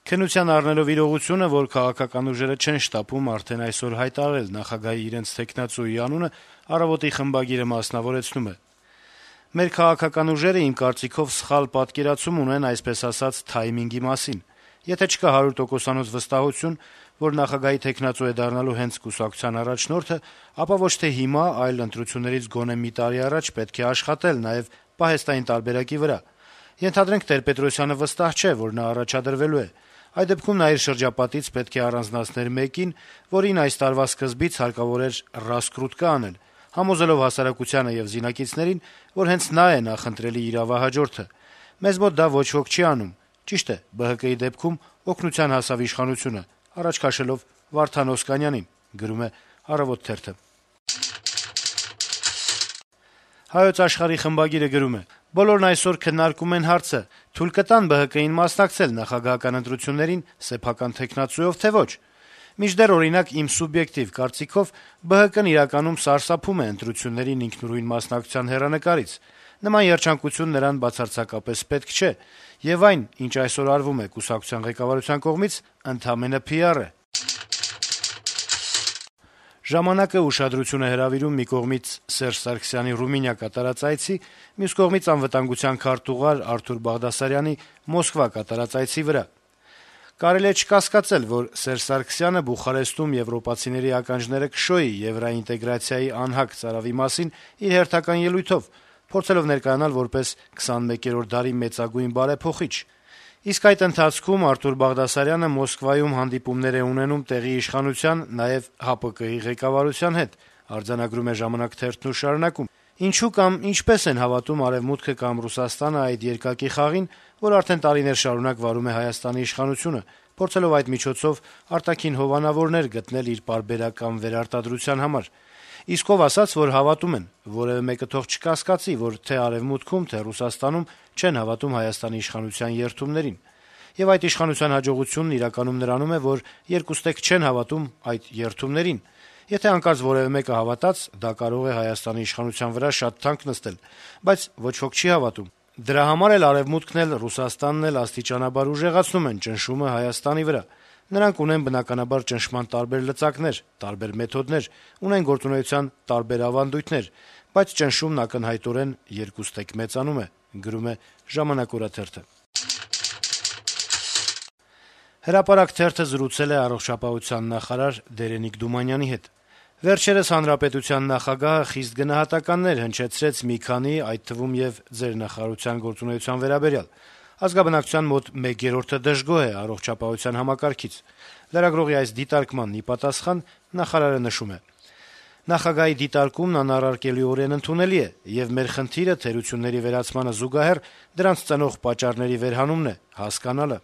Քննության առնելով իրողությունը, որ քաղաքական ուժերը չեն շտապում արդեն այսօր հայտարարել նախագահի իրենց թեկնածուի անունը, «Առավոտ»-ի խմբագիրը մասնավորեցնում է. - «Մեր քաղաքական ուժերը, իմ կարծիքով, սխալ պատկերացում ունեն, այսպես ասած, թայմինգի մասին: Եթե չկա 100%-անոց վստահություն, որ նախագահի թեկնածու է դառնալու հենց կուսակցության առաջնորդը, ապա ոչ թե հիմա, այլ ընտրություններից գոնե մի տարի առաջ պետք է աշխատել նաեւ պահեստային տարբերակի վրա: Ենթադրենք Տեր-Պետրոսյանը վստահ չէ, որ նա առաջադրվելու է: Այդ դեպքում նա իր շրջապատից պետք է առանձնացներ մեկին, որին այս տարվա սկզբից հարկավոր էր «ռասկրուտկա» անել, համոզելով հասարակությանը եւ զինակիցներին, որ հենց նա է նախընտրելի իրավահաջորդը: Մեզ մոտ դա ոչ ոք չի անում: Ճիշտ է, ԲՀԿ-ի դեպքում օգնության հասավ իշխանությունը` առաջ քաշելով Վարդան Օսկանյանին»: «Հայոց Աշխարհ»-ի խմբագիրը գրում է. - «Բոլորն այսօր քննարկում են հարցը` թույլ կտա՞ն ԲՀԿ-ին մասնակցել նախագահական ընտրություններին սեփական թեկնածուով, թե ոչ: Մինչդեռ, օրինակ, իմ սուբյեկտիվ կարծիքով, ԲՀԿ-ն իրականում սարսափում է ընտրություններին ինքնուրույն մասնակցության հեռանկարից: Նման երջանկություն նրան բացարձակապես պետք չէ, եւ այն, ինչ այսօր արվում է կուսակցության ղեկավարության կողմից, ընդամենը PR է»: «Ժամանակ»-ը ուշադրություն է հրավիրում մի կողմից Սերժ Սարգսյանի Ռումինիա կատարած այցի, մյուս կողմից անվտանգության քարտուղար Արթուր Բաղդասարյանի Մոսկվա կատարած այցի վրա. - «Կարելի է չկասկածել, որ Սերժ Սարգսյանը Բուխարեստում եվրոպացիների ականջները կշոյի եվրաինտեգրացիայի անհագ ծարավի մասին իր հերթական ելույթով, փորձելով ներկայանալ որպես 21-րդ դարի մեծագույն բարեփոխիչ: Իսկ այդ ընթացքում Արթուր Բաղդասարյանը Մոսկվայում հանդիպումներ է ունենում տեղի իշխանության, նաեւ ՀԱՊԿ-ի ղեկավարության հետ»: Թերթն շարունակում. - «Ինչու կամ ինչպե՞ս են հավատում Արեւմուտքը կամ Ռուսաստանը այդ երկակի խաղին, որ արդեն տարիներ շարունակ վարում է Հայաստանի իշխանությունը, փորձելով այդ միջոցով արտաքին հովանավորներ գտնել իր պարբերական վերարտադրության համար: Իսկ ով ասաց, որ հավատում են: Որեւէ մեկը թող չկասկածի, որ թե Արեւմուտքում, թե Ռուսաստանում չեն հավատում Հայաստանի իշխանության երդումներին: Եվ այդ իշխանության հաջողությունն իրականում նրանում է, որ երկուստեք չեն հավատում այդ երդումներին: Եթե հանկարծ որեւէ մեկը հավատաց, դա կարող է Հայաստանի իշխանության վրա շատ թանկ նստել: Բայց ոչ ոք չի հավատում: Դրա համար էլ Արեւմուտքն էլ, Ռուսաստանն էլ աստիճանաբար ուժեղացնում են ճնշումը Հայաստանի վրա: Նրանք ունեն, բնականաբար, ճնշման տարբեր լծակներ, տարբեր մեթոդներ, ունեն գործունեության տարբեր ավանդույթներ, բայց ճնշումն ակնհայտորեն երկուստեք մեծանում է»: «Հրապարակ» թերթը զրուցել է առողջապահության նախարար Դերենիկ Դումանյանի հետ: Վերջերս հանրապետության նախագահը խիստ գնահատականներ հնչեցրեց մի քանի, այդ թվում եւ Ձեր նախարարության գործունեության վերաբերյալ: Ազգաբնակչության մոտ 1/3-ը դժգոհ է առողջապահության համակարգից: Լրագրողի այս դիտարկմանն ի պատասխան նախարարը նշում է. - «Նախագահի դիտարկումն անառարկելիորեն ընդունելի է, եւ մեր խնդիրը թերությունների վերացմանը զուգահեռ դրանց ծնող պատճառների վերհանումն է, հասկանալը»: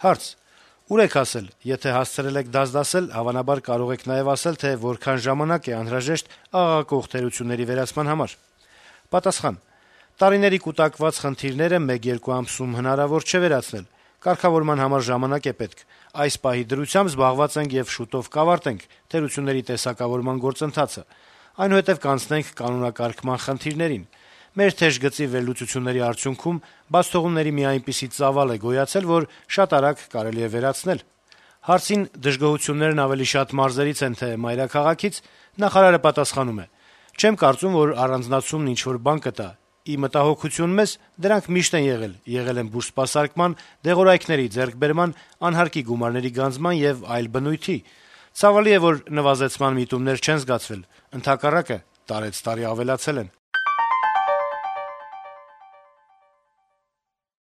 Հարց. - «Ուր եք հասել: Եթե հասցրել եք դասդասել, հավանաբար կարող եք նաեւ ասել, թե որքան ժամանակ է անհրաժեշտ աղաղակող թերությունների վերացման համար»: Պատասխան. - «Տարիների կուտակված խնդիրները 1-2 ամսում հնարավոր չէ վերացնել: Կարգավորման համար ժամանակ է պետք: Այս պահի դրությամբ զբաղված ենք եւ շուտով կավարտենք թերությունների տեսակավորման գործընթացը: Այնուհետեւ կանցնենք կանոնակարգման խնդիրներին: Մեր թեժ գծի վերլուծությունների արդյունքում բացթողումների մի այնպիսի ծավալ է գոյացել, որ շատ արագ կարելի է վերացնել»: Հարցին` դժգոհություններն ավելի շատ մարզերից են, թե մայրաքաղաքից, նախարարը պատասխանում է. - «Չեմ կարծում, որ առանձնացումն ինչ-որ բան կտա: Ի մտահոգություն մեզ, դրանք միշտ են եղել են բուժսպասարկման, դեղորայքների ձեռքբերման, անհարկի գումարների գանձման եւ այլ բնույթի: Ցավալի է, որ նվազեցման միտումներ չեն զգացվել, ընդհակառակը, տարեցտարի ավելացել են»: